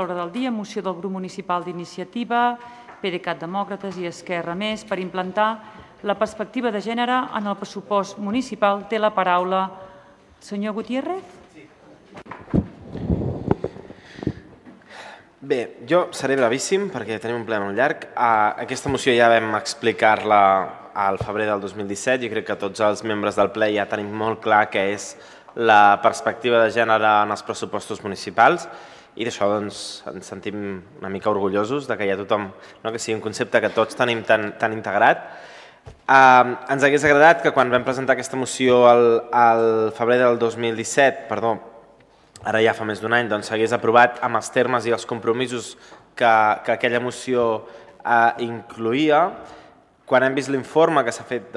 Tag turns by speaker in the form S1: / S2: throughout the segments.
S1: L'ordre del dia, moció del grup municipal d'Iniciativa, PDeCAT Demòcrates i Esquerra Més per implantar la perspectiva de gènere en el pressupost municipal. Té la paraula el senyor Gutiérrez.
S2: Bé, jo seré brevíssim perquè tenim un ple molt llarg. Aquesta moció ja vam explicar-la al febrer del 2017 i crec que tots els membres del ple ja tenim molt clar què és la perspectiva de gènere en els pressupostos municipals i d'això doncs, ens sentim una mica orgullosos de que hi ha tothom, que sigui un concepte que tots tenim tan integrat. Ens hagués agradat que quan vam presentar aquesta moció al febrer del 2017, ara ja fa més d'un any, doncs s'hagués aprovat amb els termes i els compromisos que aquella moció incloïa. Quan hem vist l'informe que s'ha fet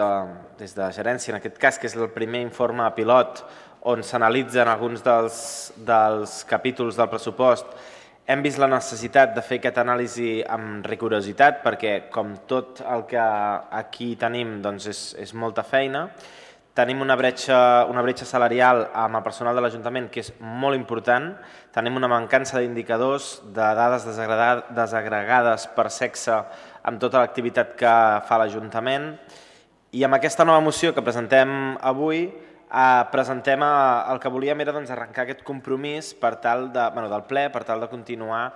S2: des de gerència, en aquest cas, que és el primer informe pilot on s'analitzen alguns dels capítols del pressupost, hem vist la necessitat de fer aquesta anàlisi amb rigorositat perquè, com tot el que aquí tenim, doncs és molta feina. Tenim una bretxa salarial amb el personal de l'Ajuntament que és molt important. Tenim una mancança d'indicadors, de dades desagregades per sexe amb tota l'activitat que fa l'Ajuntament. I amb aquesta nova moció que presentem avui, presentem el que volíem era arrencar aquest compromís del ple per tal de continuar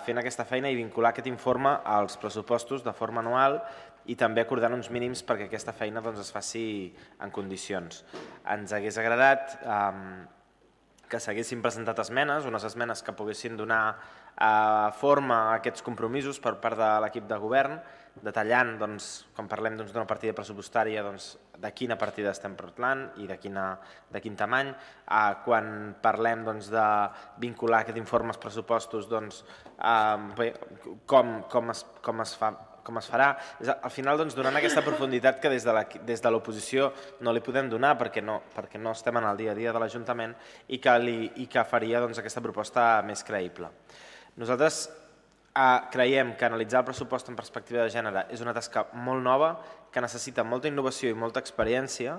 S2: fent aquesta feina i vincular aquest informe als pressupostos de forma anual i també acordant uns mínims perquè aquesta feina es faci en condicions. Ens hagués agradat que s'haguessin presentat esmenes, unes esmenes que poguessin donar forma a aquests compromisos per part de l'equip de govern, detallant, quan parlem d'una partida pressupostària, de quina partida estem parlant i de quin tamany. Quan parlem de vincular aquest informe als pressupostos, com es farà. Al final, donant aquesta profunditat que des de l'oposició no li podem donar perquè no estem en el dia a dia de l'Ajuntament i que faria aquesta proposta més creïble. Nosaltres creiem que analitzar el pressupost en perspectiva de gènere és una tasca molt nova, que necessita molta innovació i molta experiència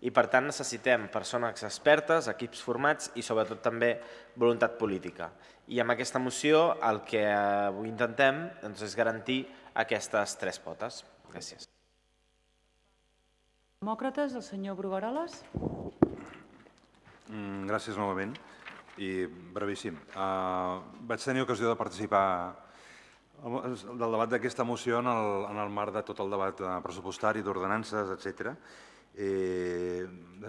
S2: i per tant necessitem persones expertes, equips formats i sobretot també voluntat política. I amb aquesta moció el que avui intentem és garantir aquestes tres potes. Gràcies.
S1: Demòcrates, el senyor Brugueroles.
S3: Gràcies novament i brevíssim. Vaig tenir ocasió de participar del debat d'aquesta moció en el marc de tot el debat pressupostari, d'ordenances, etc.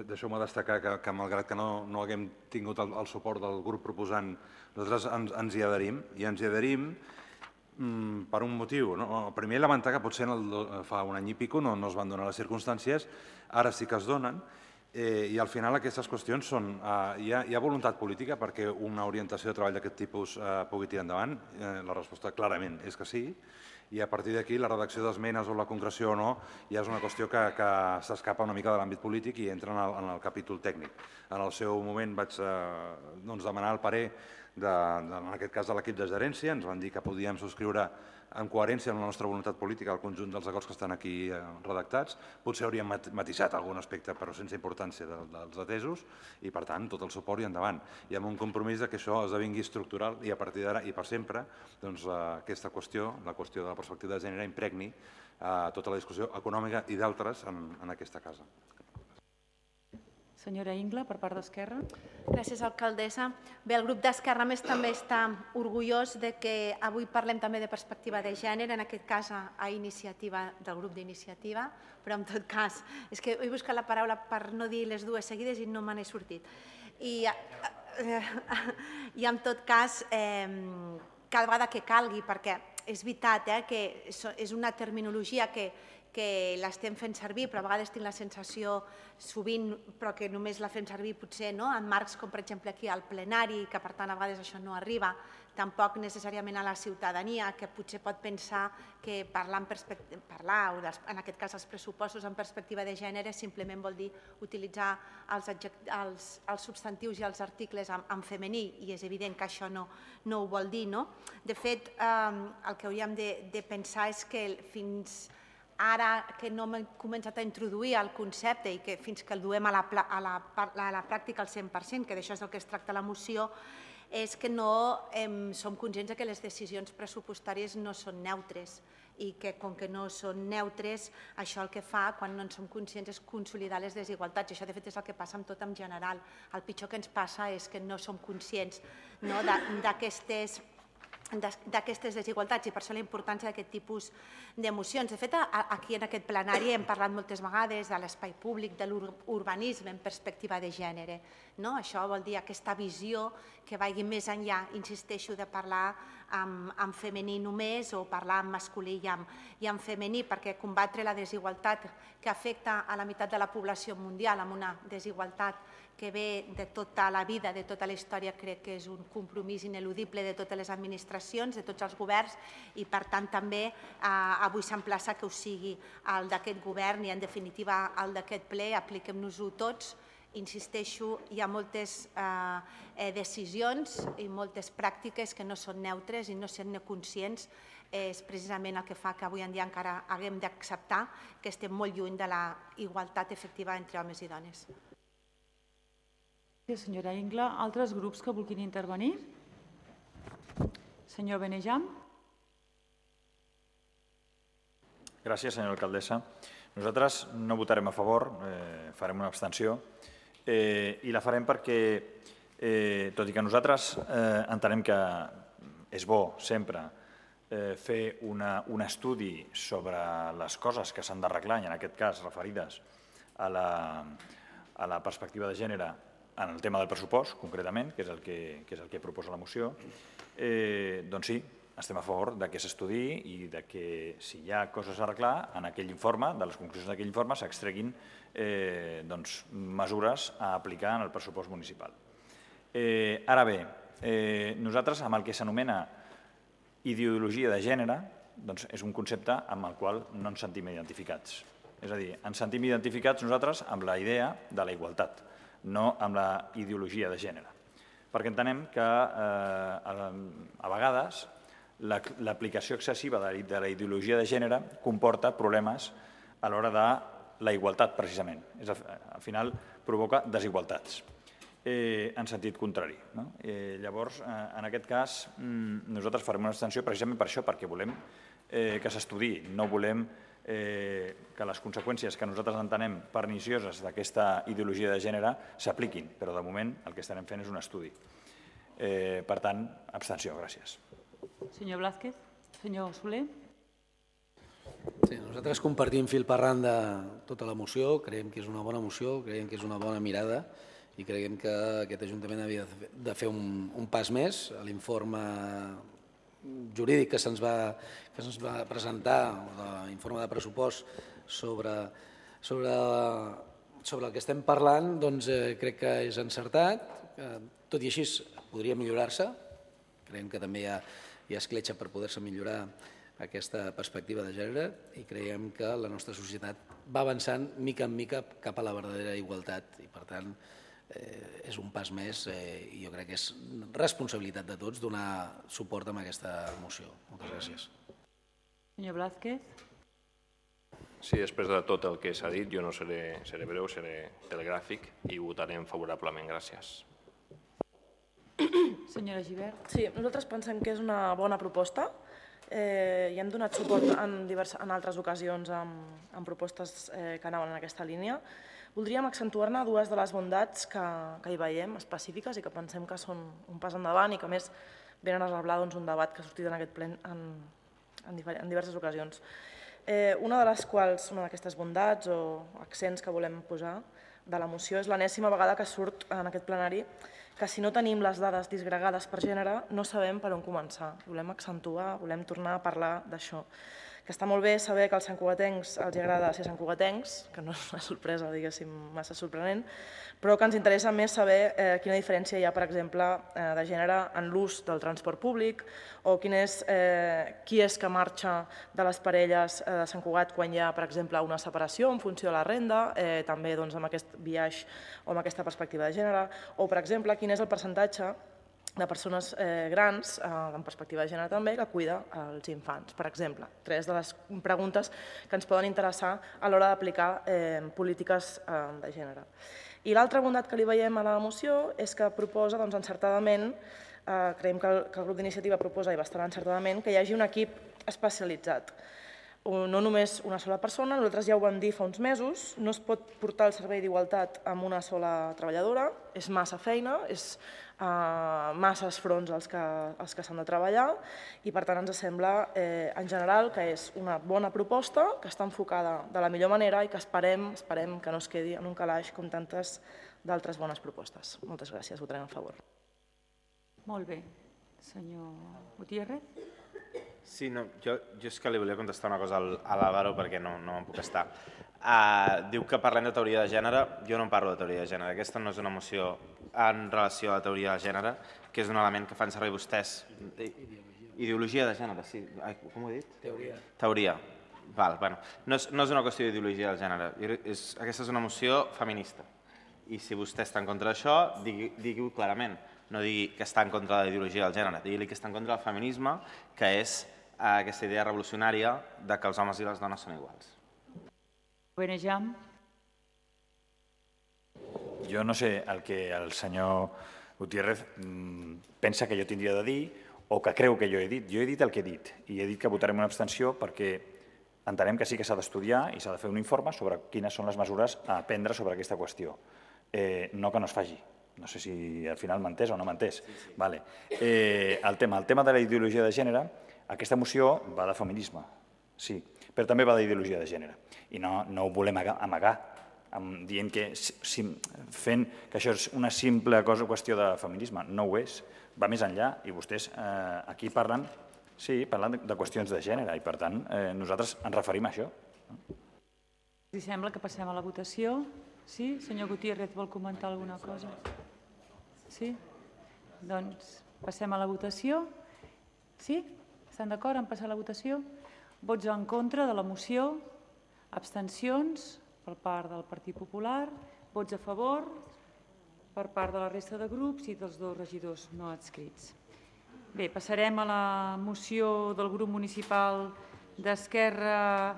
S3: Deixeu-me destacar que malgrat que no haguem tingut el suport del grup proposant, nosaltres ens hi adherim, i ens hi adherim per un motiu. Primer, lamentar que potser fa un any i pico no es van donar les circumstàncies, ara sí que es donen, i al final aquestes qüestions són... Hi ha voluntat política perquè una orientació de treball d'aquest tipus pugui tirar endavant? La resposta clarament és que sí, i a partir d'aquí la redacció d'esmenes o la concreció o no ja és una qüestió que s'escapa una mica de l'àmbit polític i entra en el capítol tècnic. En el seu moment vaig demanar el parer, en aquest cas de l'equip de gerència, ens van dir que podíem subscriure en coherència amb la nostra voluntat política el conjunt dels acords que estan aquí redactats. Potser hauríem matisat algun aspecte, però sense importància dels atesos, i per tant tot el suport i endavant. I amb un compromís que això esdevingui estructural i a partir d'ara i per sempre aquesta qüestió, la qüestió de la perspectiva de gènere, impregni tota la discussió econòmica i d'altres en aquesta casa.
S1: Senyora Ingla, per part d'Esquerra.
S4: Gràcies, alcaldessa. Bé, el grup d'Esquerra Més també està orgullós que avui parlem també de perspectiva de gènere, en aquest cas a iniciativa del grup d'Iniciativa, però en tot cas, és que he buscat la paraula per no dir les dues seguides i no me n'he sortit. I en tot cas, cada vegada que calgui, perquè és veritat que és una terminologia que l'estem fent servir, però a vegades tinc la sensació sovint però que només la fem servir potser en marcs com per exemple aquí al plenari, que per tant a vegades això no arriba tampoc necessàriament a la ciutadania, que potser pot pensar que parlar, o en aquest cas els pressupostos en perspectiva de gènere, simplement vol dir utilitzar els substantius i els articles en femení, i és evident que això no ho vol dir. De fet, el que hauríem de pensar és que fins ara que no hem començat a introduir el concepte i que fins que el duem a la pràctica al 100%, que d'això és del que es tracta la moció, és que no som conscients que les decisions pressupostàries no són neutres i que com que no són neutres, això el que fa, quan no en som conscients, és consolidar les desigualtats. Això, de fet, és el que passa amb tot en general. El pitjor que ens passa és que no som conscients d'aquestes desigualtats i per això la importància d'aquest tipus d'emocions. De fet, aquí en aquest plenari hem parlat moltes vegades de l'espai públic, de l'urbanisme en perspectiva de gènere. Això vol dir aquesta visió que vagi més enllà, insisteixo, de parlar en femení només o parlar en masculí i en femení, perquè combatre la desigualtat que afecta a la meitat de la població mundial amb una desigualtat que ve de tota la vida, de tota la història, crec que és un compromís ineludible de totes les administracions, de tots els governs, i per tant també avui s'emplaça que ho sigui el d'aquest govern i en definitiva el d'aquest ple, apliquem-nos-ho tots. Insisteixo, hi ha moltes decisions i moltes pràctiques que no són neutres i no sent-ne conscients és precisament el que fa que avui en dia encara haguem d'acceptar que estem molt lluny de la igualtat efectiva entre homes i dones.
S1: Senyora Ingla, altres grups que vulguin intervenir? Senyor Benejam.
S5: Gràcies, senyora alcaldessa. Nosaltres no votarem a favor, farem una abstenció i la farem perquè, tot i que nosaltres entenem que és bo sempre fer un estudi sobre les coses que s'han d'arreglar, i en aquest cas referides a la perspectiva de gènere en el tema del pressupost, concretament, que és el que proposa la moció, doncs sí, estem a favor que s'estudiï i que si hi ha coses a arreglar, en aquell informe, de les conclusions d'aquell informe, s'extreguin mesures a aplicar en el pressupost municipal. Ara bé, nosaltres amb el que s'anomena ideologia de gènere és un concepte amb el qual no ens sentim identificats. És a dir, ens sentim identificats nosaltres amb la idea de la igualtat, no amb la ideologia de gènere, perquè entenem que a vegades l'aplicació excessiva de la ideologia de gènere comporta problemes a l'hora de la igualtat, precisament. Al final provoca desigualtats en sentit contrari. Llavors, en aquest cas, nosaltres farem una abstenció precisament per això, perquè volem que s'estudiï, no volem que les conseqüències que nosaltres entenem pernicioses d'aquesta ideologia de gènere s'apliquin, però de moment el que estarem fent és un estudi. Per tant, abstenció. Gràcies.
S1: Senyor Blázquez. Senyor Soler.
S6: Sí, nosaltres compartim fil per randa tota la moció, creiem que és una bona moció, creiem que és una bona mirada i creiem que aquest Ajuntament havia de fer un pas més. L'informe jurídic que se'ns va presentar, l'informe de pressupost sobre el que estem parlant, doncs crec que és encertat. Tot i així podria millorar-se. Creiem que també hi ha escletxa per poder-se millorar aquesta perspectiva de gènere i creiem que la nostra societat va avançant mica en mica cap a la verdadera igualtat i, per tant, és un pas més i jo crec que és responsabilitat de tots donar suport a aquesta moció. Moltes gràcies.
S1: Senyor Blázquez.
S7: Sí, després de tot el que s'ha dit, jo no seré breu, seré telegràfic i votarem favorablement. Gràcies.
S1: Senyora Gibert.
S8: Sí, nosaltres pensem que és una bona proposta i hem donat suport en altres ocasions amb propostes que anaven en aquesta línia. Voldríem accentuar-ne dues de les bondats que hi veiem específiques i que pensem que són un pas endavant i que a més venen a reblar un debat que ha sortit en aquest ple en diverses ocasions. Una d'aquestes bondats o accents que volem posar de la moció és l'enèsima vegada que surt en aquest plenari que si no tenim les dades disgregades per gènere no sabem per on començar. Volem accentuar, volem tornar a parlar d'això. Que està molt bé saber que als santcugatencs els agrada ser santcugatencs, que no és una sorpresa, diguéssim, massa sorprenent, però que ens interessa més saber quina diferència hi ha, per exemple, de gènere en l'ús del transport públic o qui és que marxa de les parelles de Sant Cugat quan hi ha, per exemple, una separació en funció de la renda, també amb aquest biaix o amb aquesta perspectiva de gènere, o, per exemple, quin és el percentatge de persones grans, en perspectiva de gènere també, que cuida els infants, per exemple. 3 de les preguntes que ens poden interessar a l'hora d'aplicar polítiques de gènere. I l'altra bondat que li veiem a la moció és que proposa, encertadament, creiem que el grup d'iniciativa proposa, i bastant encertadament, que hi hagi un equip especialitzat. No només una sola persona, nosaltres ja ho vam dir fa uns mesos, no es pot portar el servei d'igualtat amb una sola treballadora, és massa feina, és masses fronts els que s'han de treballar i per tant ens sembla en general que és una bona proposta, que està enfocada de la millor manera i que esperem que no es quedi en un calaix com tantes d'altres bones propostes. Moltes gràcies, votarem a favor.
S1: Molt bé. Senyor Gutiérrez?
S2: Sí, no, jo és que li volia contestar una cosa a l'Àlvaro perquè no me'n puc estar. Diu que parlem de teoria de gènere, jo no en parlo de teoria de gènere. Aquesta no és una moció en relació a la teoria de gènere, que és un element que fan servir vostès. Ideologia de gènere, sí. Com ho he dit? Teoria. Bueno, no és una qüestió d'ideologia de gènere. Aquesta és una moció feminista. I si vostè està en contra d'això, digui-ho clarament. No digui que està en contra de la ideologia del gènere, digui-li que està en contra del feminisme, que és aquesta idea revolucionària de que els homes i les dones són iguals.
S1: Benejam?
S5: Jo no sé el que el senyor Gutiérrez pensa que jo tindria de dir o que creu que jo he dit. Jo he dit el que he dit i he dit que votarem una abstenció perquè entenem que sí que s'ha d'estudiar i s'ha de fer un informe sobre quines són les mesures a prendre sobre aquesta qüestió. No que no es faci. No sé si al final m'ha entès o no m'ha entès. El tema de la ideologia de gènere, aquesta moció va de feminisme, sí, però també va d'ideologia de gènere. I no ho volem amagar, dient que fent que això és una simple qüestió de feminisme. No ho és, va més enllà i vostès aquí parlen de qüestions de gènere i per tant nosaltres ens referim a això.
S1: Si sembla que passem a la votació. Sí? Senyor Gutiérrez, vol comentar alguna cosa? Sí? Doncs passem a la votació. Sí? Estan d'acord en passar a la votació? Vots en contra de la moció, abstencions per part del Partit Popular, vots a favor per part de la resta de grups i dels dos regidors no adscrits. Bé, passarem a la moció del grup municipal d'Esquerra